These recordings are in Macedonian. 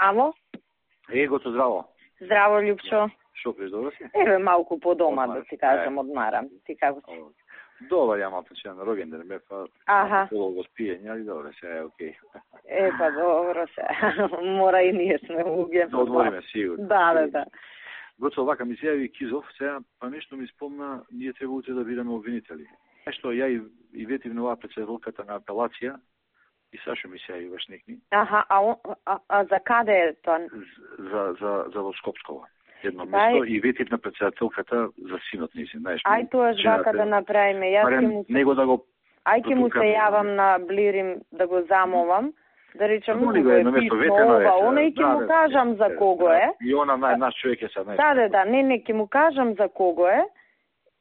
Ало? Гото, здраво. Здраво, Љупчо. Шо преш, добро си? Еве малку по дома, да ти кажам, одмарам. Ти како си? Добар, ја малку че на роѓенден бе, па полого спиење, али добро, се е окей. Па добро се. Мора и ние сме луѓе. Да одмориме, сигурно. Да. Гото, овака ми се јави Кизов, сега, па нешто ми спомна, ние треба утре да бидеме обвинители. Нешто ја и ветив на оваа председателката на апелација, и Сашо ми се јави баш некни. Аха, а за каде е тоа? За во Скопсково. Едно место и ветив на председателката за синот низин, знаеш. Ај тоа вака да направиме. Јас ќе му него да го ќе му се јавам на Блирим да го замолам. Да речам, му го е писмо, она и ќе му кажам за кого е. И она наш човек е сега. Да, не, ќе му кажам за кого е.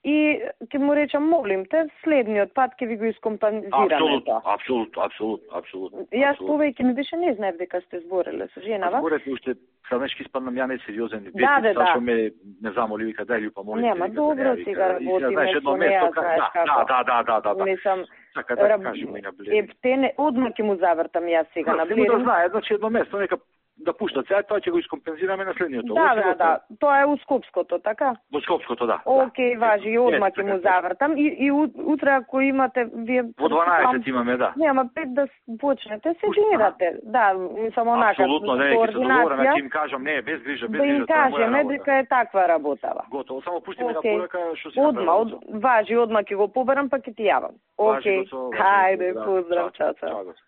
И ќе му речам, молим те, следниот пат ќе ви го искомпензираме тоа. Апсолутно. Јас повеќе ми беше не знаев дека сте збореле со женава. Зборете уште саднешки испаднам ја не сериозен. Да. Сашо ме не замоли, вика дај Љупа, молим. Нема, добро сега работиме со неа, знаеш како. Да. Мислам, така да кажеме на Блир. Одма ќе му завртам јас сега на Блир. Да знае, значи едно место, нека да пуштат сега, тоа ќе го искомпензираме на следниот. Да. Тоа е у Скопското, така? Во Скопското, да. Океј, важи, и одма ќе му завртам. И утре, ако имате, вие... Во 12 имаме, да. Нема, 5 да почнете, се дирате. Да, само онака. Апсолутно, не, ќе се договориме, ќе им кажам, не, без грижа. Да им кажеме дека е таква работава. Готово, само пушти ми на порака, што си направи. Важи, одма ќе го побарам, па ќе ти јавам. Океј, хајде, поздрав, чао.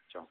Чао.